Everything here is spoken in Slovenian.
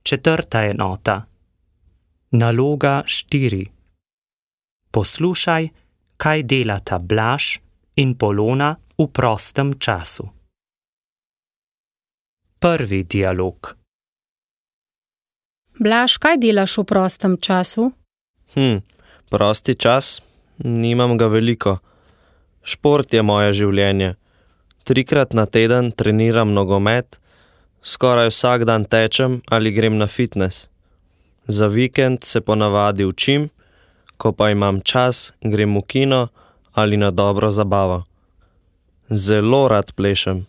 Četrta enota. Naloga 4. Poslušaj, kaj delata Blaž in Polona v prostem času. Prvi dialog. Blaž, kaj delaš v prostem času? Prosti čas? Nimam ga veliko. Šport je moje življenje. 3-krat na teden treniram nogomet, skoraj vsak dan tečem ali grem na fitnes. Za vikend se ponavadi učim, ko pa imam čas, grem v kino ali na dobro zabavo. Zelo rad plešem.